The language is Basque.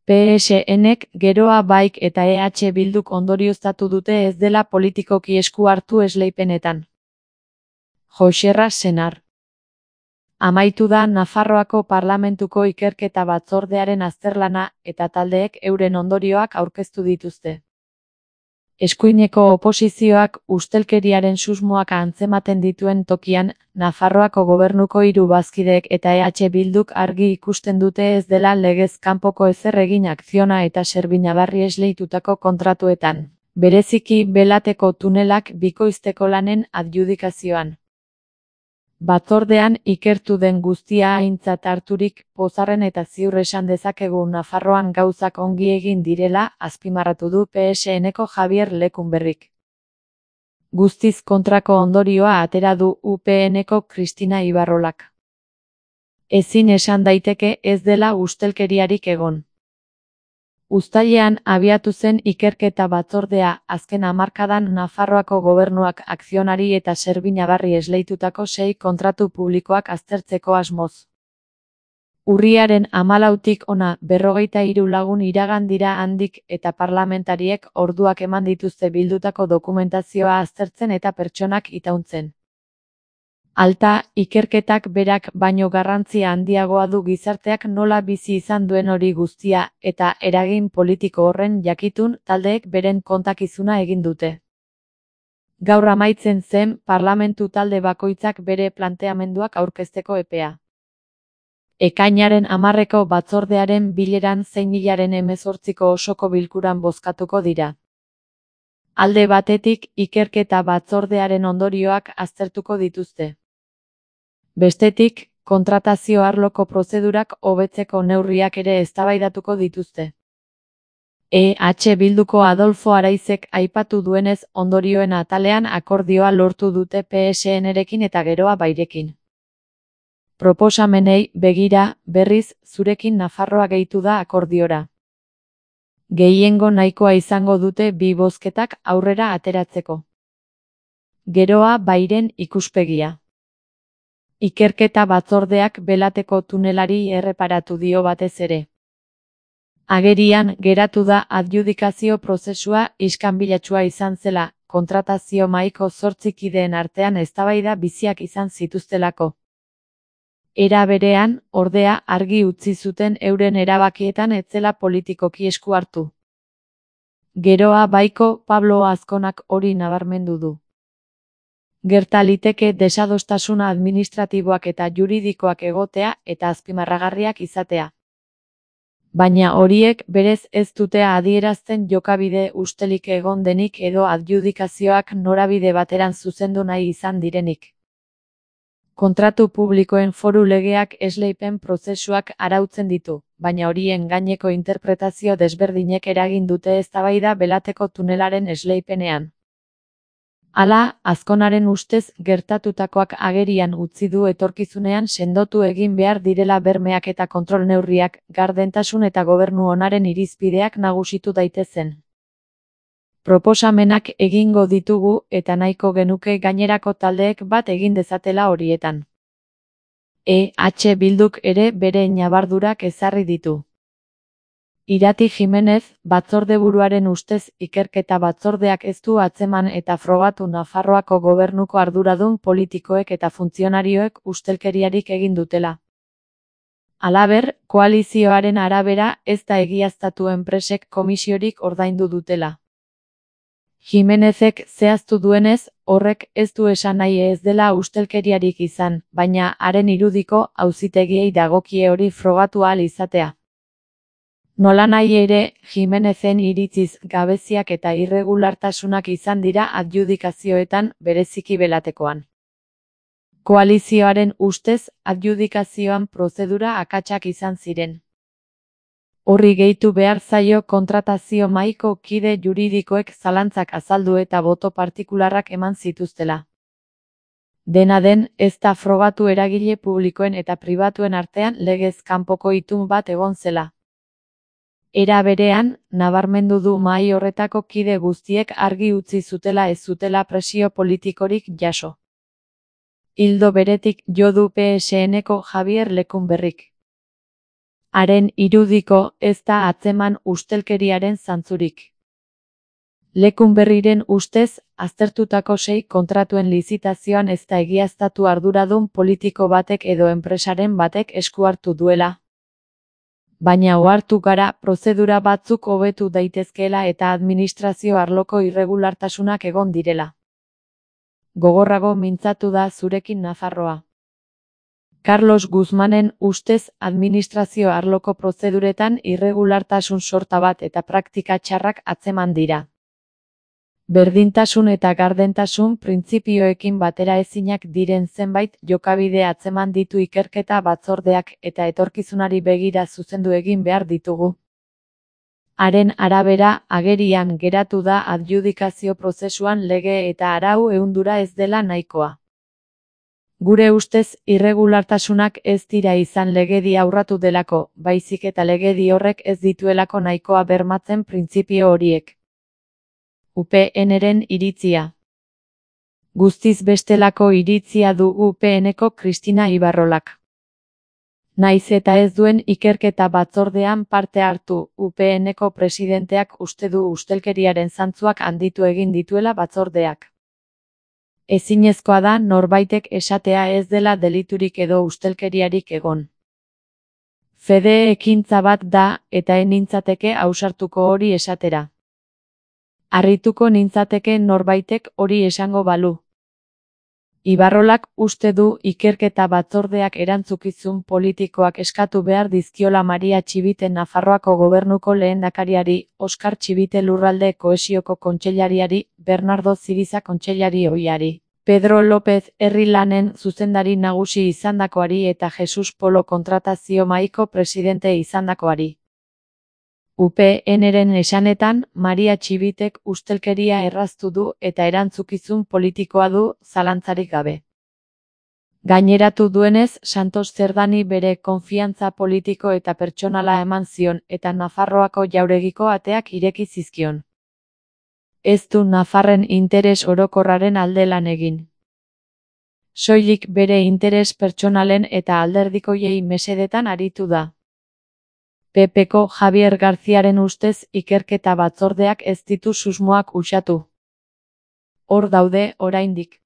PSNek, Geroa Baik eta EH Bilduk ondorioztatu dute ez dela politikoki esku hartu esleipenetan. Joxerra Senar. Amaitu da Nafarroako Parlamentuko Ikerketa Batzordearen azterlana eta taldeek euren ondorioak aurkeztu dituzte. Eskuineko oposizioak ustelkeriaren susmoak antzematen dituen tokian, Nafarroako gobernuko 3 bazkideek eta EH Bilduk argi ikusten dute ez dela legez kanpoko ezer egin Akziona eta Serbinabarri esleitutako kontratuetan, bereziki Belateko tunelak bikoizteko lanen adjudikazioan. Batzordean ikertu den guztia aintzat harturik, pozarren eta ziur esan dezakegu Nafarroan gauzak ongi egin direla, azpimarratu du PSNeko Javier Lecumberrik. Guztiz kontrako ondorioa atera du UPNeko Cristina Ibarrolak. Ezin esan daiteke ez dela ustelkeriarik egon. Uztailean abiatu zen ikerketa batzordea, azken hamarkadan Nafarroako gobernuak Akzionari eta Serbinabarri esleitutako 6 kontratu publikoak aztertzeko asmoz. Urriaren 14tik hona 43 lagun iragan dira handik eta parlamentariek orduak eman dituzte bildutako dokumentazioa aztertzen eta pertsonak itauntzen. Alta, ikerketak berak baino garrantzia handiagoa du gizarteak nola bizi izan duen hori guztia, eta eragin politiko horren jakitun taldeek beren kontakizuna egin dute. Gaur amaitzen zen parlamentu talde bakoitzak bere planteamenduak aurkezteko epea. Ekainaren 10eko batzordearen bileran zein hilaren 18ko osoko bilkuran bozkatuko dira. Alde batetik, ikerketa batzordearen ondorioak aztertuko dituzte. Bestetik, kontratazio arloko prozedurak hobetzeko neurriak ere eztabaidatuko dituzte. EH Bilduko Adolfo Araizek aipatu duenez ondorioen atalean akordioa lortu dute PSNrekin eta Geroa Bairekin. Proposamenei begira, berriz, zurekin Nafarroa gehitu da akordiora. Gehiengo nahikoa izango dute 2 bozketak aurrera ateratzeko. Geroa Bairen ikuspegia. Ikerketa batzordeak Belateko tunelari erreparatu dio batez ere. Agerian geratu da adjudikazio prozesua iskanbilatsua izan zela, kontratazio mahaiko 8 kideen artean eztabaida biziak izan zituztelako. Era berean, ordea, argi utzi zuten euren erabakietan ez zela politikoki esku hartu. Geroa Baiko Pablo Azkonak hori nabarmendu du. Gerta liteke desadostasuna administratiboak eta juridikoak egotea eta azpimarragarriak izatea. Baina horiek berez ez dute adierazten jokabide ustelik egon denik edo adjudikazioak norabide bateran zuzendu nahi izan direnik. Kontratu publikoen foru legeak esleipen prozesuak arautzen ditu, baina horien gaineko interpretazio desberdinek eragin dute eztabaida Belateko tunelaren esleipenean. Hala, Azkonaren ustez gertatutakoak agerian utzi du etorkizunean sendotu egin behar direla bermeak eta kontrol neurriak, gardentasun eta gobernu onaren irizpideak nagusitu daitezen. Proposamenak egingo ditugu eta nahiko genuke gainerako taldeek bat egin dezatela horietan. EH Bilduk ere bere ñabardurak ezarri ditu. Irati Jimenez, batzordeburuaren ustez ikerketa batzordeak ez du atzeman eta frogatu Nafarroako gobernuko arduradun politikoek eta funtzionarioek ustelkeriarik egin dutela. Halaber, koalizioaren arabera ez da egiaztatu enpresek komisiorik ordaindu dutela. Jimenezek zehaztu duenez, horrek ez du esan nahi ez dela ustelkeriarik izan, baina haren irudiko auzitegiei dagokie hori frogatu ahal izatea. Nolanahi ere, Jimenezen iritziz gabeziak eta irregulartasunak izan dira adjudikazioetan, bereziki Belatekoan. Koalizioaren ustez, adjudikazioan prozedura akatsak izan ziren. Horri gehitu behar zaio kontratazio mahaiko kide juridikoek zalantzak azaldu eta boto partikularrak eman zituztela. Dena den, ez da frogatu eragile publikoen eta pribatuen artean legez kanpoko itun bat egon zela. Era berean, nabarmendu du mahai horretako kide guztiek argi utzi zutela ez zutela presio politikorik jaso. Ildo beretik jo du PSNeko Javier Lecumberrik. Haren irudiko ez da atzeman ustelkeriaren zantzurik. Lekunberriren ustez, aztertutako 6 kontratuen lizitazioan ez da egiaztatu arduradun politiko batek edo enpresaren batek esku hartu duela. Baina ohartu gara prozedura batzuk hobetu daitezkeela eta administrazio arloko irregulartasunak egon direla. Gogorrago mintzatu da zurekin Nafarroa. Carlos Guzmanen ustez administrazio arloko prozeduretan irregulartasun sorta bat eta praktika txarrak atzeman dira. Berdintasun eta gardentasun printzipioekin bateraezinak diren zenbait jokabide atzeman ditu ikerketa batzordeak eta etorkizunari begira zuzendu egin behar ditugu. Haren arabera, agerian geratu da adjudikazio prozesuan lege eta arau ehundura ez dela nahikoa. Gure ustez, irregulartasunak ez dira izan legedi aurratu delako, baizik eta legedi horrek ez dituelako nahikoa bermatzen printzipio horiek. UPN-ren iritzia. Guztiz bestelako iritzia du UPN-eko Kristina Ibarrolak. Naiz eta ez duen ikerketa batzordean parte hartu, UPN-eko presidenteak uste du ustelkeriaren zantzuak handitu egin dituela batzordeak. Ezinezkoa da norbaitek esatea ez dela deliturik edo ustelkeriarik egon. Fede ekintza bat da eta nintzateke ausartuko hori esatera. Harrituko nintzateke norbaitek hori esango balu. Ibarrolak uste du ikerketa batzordeak erantzukizun politikoak eskatu behar dizkiola Maria Txibite Nafarroako gobernuko lehendakariari, Oskar Txibite Lurralde Kohesioko kontseilariari, Bernardo Ziriza kontseilari ohiari, Pedro López herri lanen zuzendari nagusi izandakoari eta Jesus Polo kontratazio mahaiko presidente izandakoari. UPN-ren esanetan, Maria Txibitek ustelkeria erraztu du eta erantzukizun politikoa du, zalantzarik gabe. Gaineratu duenez, Santos Zerdani bere konfiantza politiko eta pertsonala eman zion eta Nafarroako jauregiko ateak ireki zizkion. Ez du Nafarren interes orokorraren alde lan egin. Soilik bere interes pertsonalen eta alderdikoiei mesedetan aritu da. PPko Javier Garziaren ustez ikerketa batzordeak ez ditu susmoak uxatu. Hor daude oraindik.